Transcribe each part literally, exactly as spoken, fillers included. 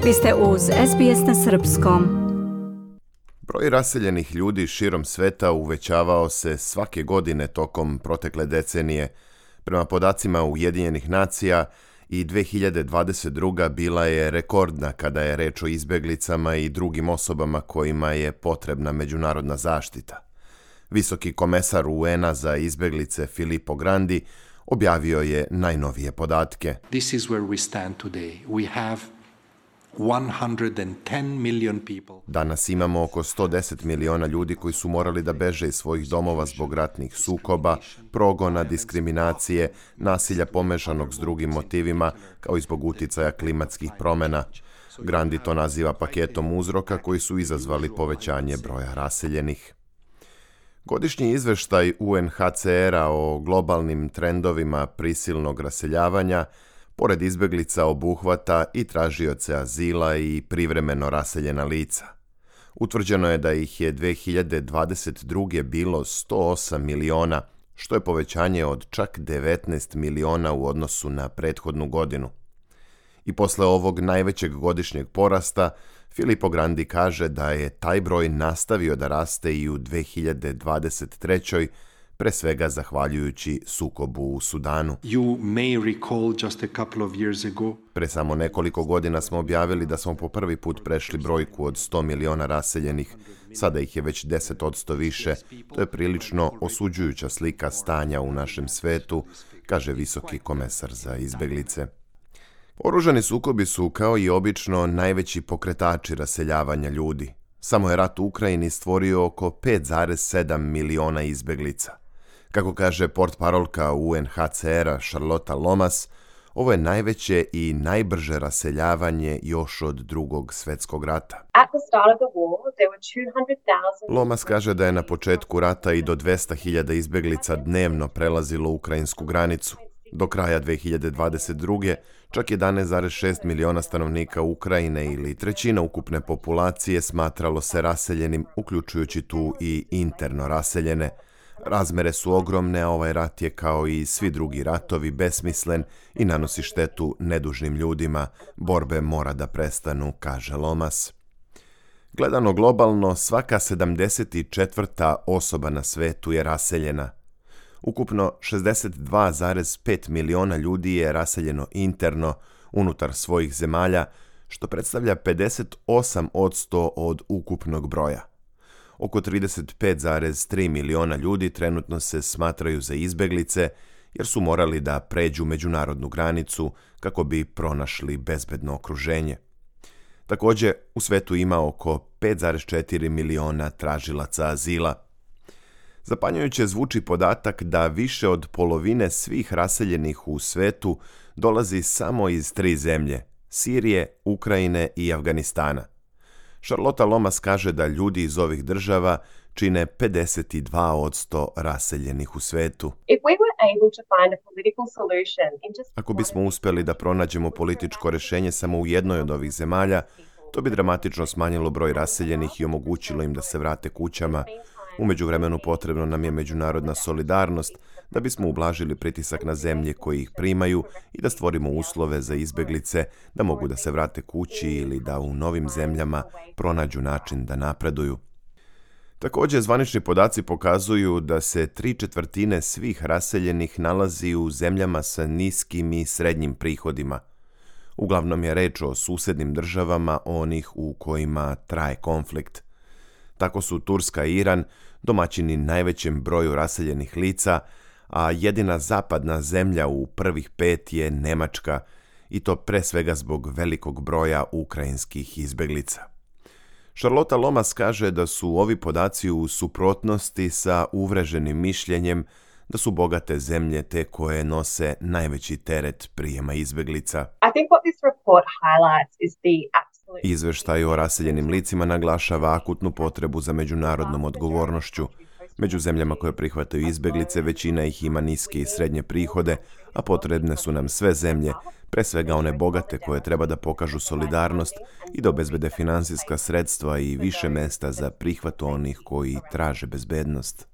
Vi ste uz S B S na srpskom. Broj raseljenih ljudi širom sveta uvećavao se svake godine tokom protekle decenije. Prema podacima Ujedinjenih nacija, i dvije hiljade dvadeset druga. bila je rekordna kada je reč o izbjeglicama i drugim osobama kojima je potrebna međunarodna zaštita. Visoki komesar U N-a za izbjeglice Filippo Grandi objavio je najnovije podatke. This is where we stand today. We have one hundred ten million people. Danas imamo oko sto deset miliona ljudi koji su morali da beže iz svojih domova zbog ratnih sukoba, progona, diskriminacije, nasilja pomešanog s drugim motivima, kao i zbog uticaja klimatskih promjena. Grandi to naziva paketom uzroka koji su izazvali povećanje broja raseljenih. Godišnji izveštaj U N H C R-a o globalnim trendovima prisilnog raseljavanja pored izbjeglica obuhvata i tražioce azila i privremeno raseljena lica. Utvrđeno je da ih je dvije hiljade dvadeset druge. bilo sto osam miliona, što je povećanje od čak devetnaest miliona u odnosu na prethodnu godinu. I posle ovog najvećeg godišnjeg porasta, Filippo Grandi kaže da je taj broj nastavio da raste i u dvije hiljade dvadeset trećoj. pre svega zahvaljujući sukobu u Sudanu. You may recall just a couple of years ago. Pre samo nekoliko godina smo objavili da smo po prvi put prešli brojku od sto miliona raseljenih. Sada ih je već deset odsto više. To je prilično osuđujuća slika stanja u našem svetu, kaže visoki komesar za izbjeglice. Oružani sukobi su, kao i obično, najveći pokretači raseljavanja ljudi. Samo je rat u Ukrajini stvorio oko pet zarez sedam miliona izbjeglica. Kako kaže portparolka U N H C R-a Charlotta Lomas, ovo je najveće i najbrže raseljavanje još od drugog svjetskog rata. Lomas kaže da je na početku rata i do dvesta hiljada izbjeglica dnevno prelazilo ukrajinsku granicu. Do kraja dvije hiljade dvadeset druge. čak jedanaest zarez šest miliona stanovnika Ukrajine ili trećina ukupne populacije smatralo se raseljenim, uključujući tu i interno raseljene. Razmere su ogromne, a ovaj rat je kao i svi drugi ratovi besmislen i nanosi štetu nedužnim ljudima. Borbe mora da prestanu, kaže Lomas. Gledano globalno, svaka sedamdeset četvrta osoba na svetu je raseljena. Ukupno šezdeset dva zarez pet miliona ljudi je raseljeno interno unutar svojih zemalja, što predstavlja pedeset osam odsto od ukupnog broja. Oko trideset pet zarez tri miliona ljudi trenutno se smatraju za izbjeglice jer su morali da pređu međunarodnu granicu kako bi pronašli bezbedno okruženje. Također, u svetu ima oko pet zarez četiri miliona tražilaca azila. Zapanjujuće zvuči podatak da više od polovine svih raseljenih u svetu dolazi samo iz tri zemlje, Sirije, Ukrajine i Afganistana. Charlotta Lomas kaže da ljudi iz ovih država čine pedeset dva odsto raseljenih u svetu. Ako bismo uspjeli da pronađemo političko rješenje samo u jednoj od ovih zemalja, to bi dramatično smanjilo broj raseljenih i omogućilo im da se vrate kućama. U međuvremenu potrebno nam je međunarodna solidarnost da bismo ublažili pritisak na zemlje koji ih primaju i da stvorimo uslove za izbjeglice da mogu da se vrate kući ili da u novim zemljama pronađu način da napreduju. Također, zvanični podaci pokazuju da se tri četvrtine svih raseljenih nalazi u zemljama sa niskim i srednjim prihodima. Uglavnom je reč o susednim državama, onih u kojima traje konflikt. Tako su Turska i Iran domaćini najvećem broju raseljenih lica, a jedina zapadna zemlja u prvih pet je Nemačka, i to pre svega zbog velikog broja ukrajinskih izbjeglica. Charlotta Lomas kaže da su ovi podaci u suprotnosti sa uvreženim mišljenjem da su bogate zemlje te koje nose najveći teret prijema izbjeglica. Izveštaj o raseljenim licima naglašava akutnu potrebu za međunarodnom odgovornošću. Među zemljama koje prihvataju izbjeglice, većina ih ima niske i srednje prihode, a potrebne su nam sve zemlje, pre svega one bogate koje treba da pokažu solidarnost i da obezbede finansijska sredstva i više mesta za prihvat onih koji traže bezbednost.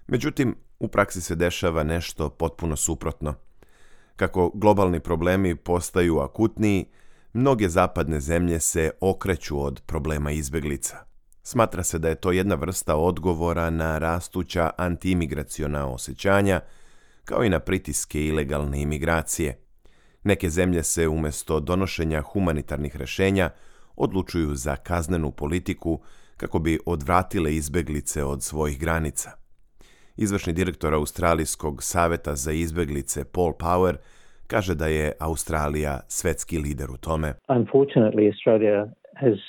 Međutim, u praksi se dešava nešto potpuno suprotno. Kako globalni problemi postaju akutniji, mnoge zapadne zemlje se okreću od problema izbjeglica. Smatra se da je to jedna vrsta odgovora na rastuća antiimigraciona osjećanja, kao i na pritiske ilegalne imigracije. Neke zemlje se umjesto donošenja humanitarnih rješenja odlučuju za kaznenu politiku kako bi odvratile izbjeglice od svojih granica. Izvršni direktor Australijskog saveta za izbjeglice Paul Power kaže da je Australija svetski lider u tome. Unfortunately, Australia has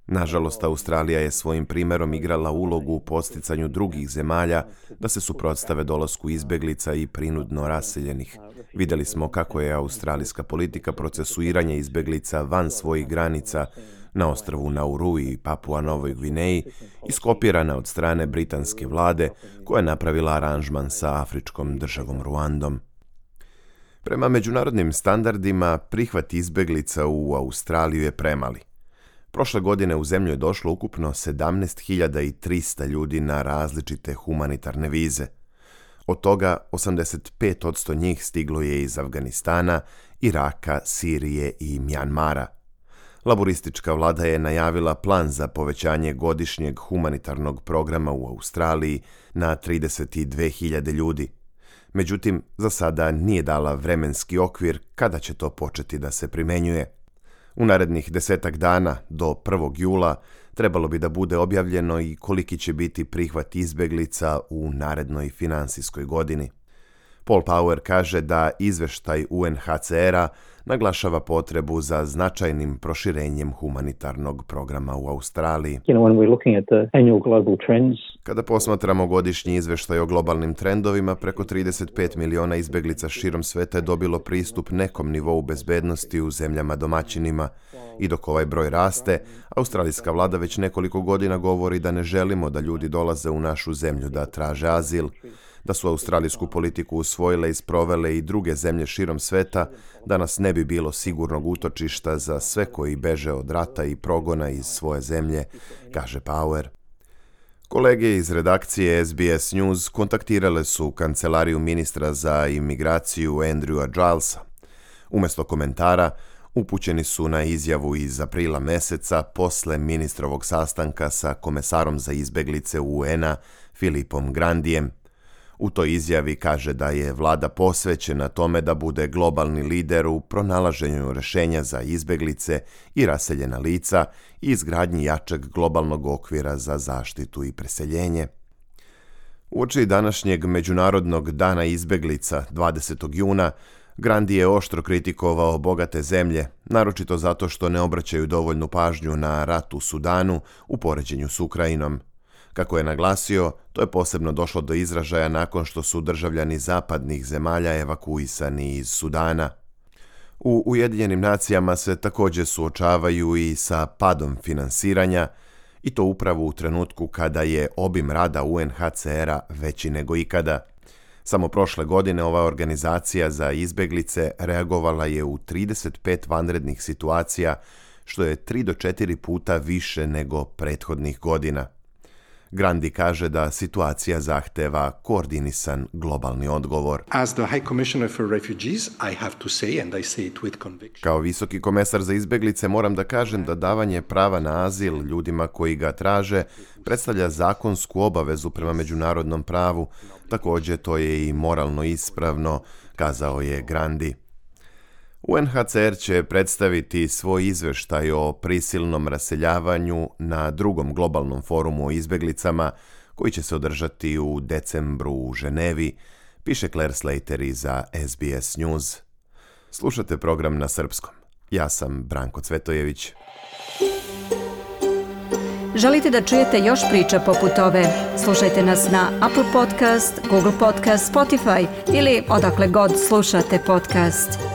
Nažalost, Australija je svojim primjerom igrala ulogu u posticanju drugih zemalja da se suprotstave dolasku izbjeglica i prinudno raseljenih. Vidjeli smo kako je australijska politika procesuiranja izbjeglica van svojih granica na ostrvu Nauru i Papua Novoj Gvineji iskopirana od strane britanske vlade koja je napravila aranžman sa afričkom državom Ruandom. Prema međunarodnim standardima, prihvat izbjeglica u Australiju je premali. Prošle godine u zemlju je došlo ukupno sedamnaest hiljada trista ljudi na različite humanitarne vize. Od toga osamdeset pet posto njih stiglo je iz Afganistana, Iraka, Sirije i Mjanmara. Laboristička vlada je najavila plan za povećanje godišnjeg humanitarnog programa u Australiji na trideset dvije hiljade ljudi. Međutim, za sada nije dala vremenski okvir kada će to početi da se primjenjuje. U narednih desetak dana, do prvog jula, trebalo bi da bude objavljeno i koliki će biti prihvat izbjeglica u narednoj finansijskoj godini. Paul Power kaže da izveštaj U N H C R-a naglašava potrebu za značajnim proširenjem humanitarnog programa u Australiji. You know, when we're looking at the annual global trends, Kada posmatramo godišnji izveštaj o globalnim trendovima, preko trideset pet miliona izbjeglica širom sveta je dobilo pristup nekom nivou bezbednosti u zemljama domaćinima. I dok ovaj broj raste, australijska vlada već nekoliko godina govori da ne želimo da ljudi dolaze u našu zemlju da traže azil. Da su australijsku politiku usvojile i sprovele i druge zemlje širom sveta, danas ne bi bilo sigurnog utočišta za sve koji beže od rata i progona iz svoje zemlje, kaže Power. Kolege iz redakcije S B S News kontaktirale su kancelariju ministra za imigraciju Andrewa Gilesa. Umjesto komentara, upućeni su na izjavu iz aprila meseca posle ministrovog sastanka sa komesarom za izbjeglice U N-a Filipom Grandijem. U toj izjavi kaže da je vlada posvećena tome da bude globalni lider u pronalaženju rješenja za izbjeglice i raseljena lica i izgradnji jačeg globalnog okvira za zaštitu i preseljenje. Uoči današnjeg Međunarodnog dana izbjeglica dvadesetog juna, Grandi je oštro kritikovao bogate zemlje, naročito zato što ne obraćaju dovoljnu pažnju na rat u Sudanu u poređenju s Ukrajinom. Kako je naglasio, to je posebno došlo do izražaja nakon što su državljani zapadnih zemalja evakuisani iz Sudana. U Ujedinjenim nacijama se također suočavaju i sa padom finansiranja, i to upravo u trenutku kada je obim rada U N H C R-a veći nego ikada. Samo prošle godine ova organizacija za izbjeglice reagovala je u trideset pet vanrednih situacija, što je tri do četiri puta više nego prethodnih godina. Grandi kaže da situacija zahteva koordinisan globalni odgovor. As the High Commissioner for Refugees, I have to say, and I say it with conviction. Kao visoki komesar za izbjeglice moram da kažem da davanje prava na azil ljudima koji ga traže predstavlja zakonsku obavezu prema međunarodnom pravu. Također to je i moralno ispravno, kazao je Grandi. U N H C R će predstaviti svoj izveštaj o prisilnom raseljavanju na drugom globalnom forumu o izbjeglicama koji će se održati u decembru u Ženevi, piše Claire Slater za S B S News. Slušate program na srpskom. Ja sam Branko Cvetojević. Želite da čujete još priča poput ove? Slušajte nas na Apple Podcast, Google Podcast, Spotify ili odakle god slušate podcast.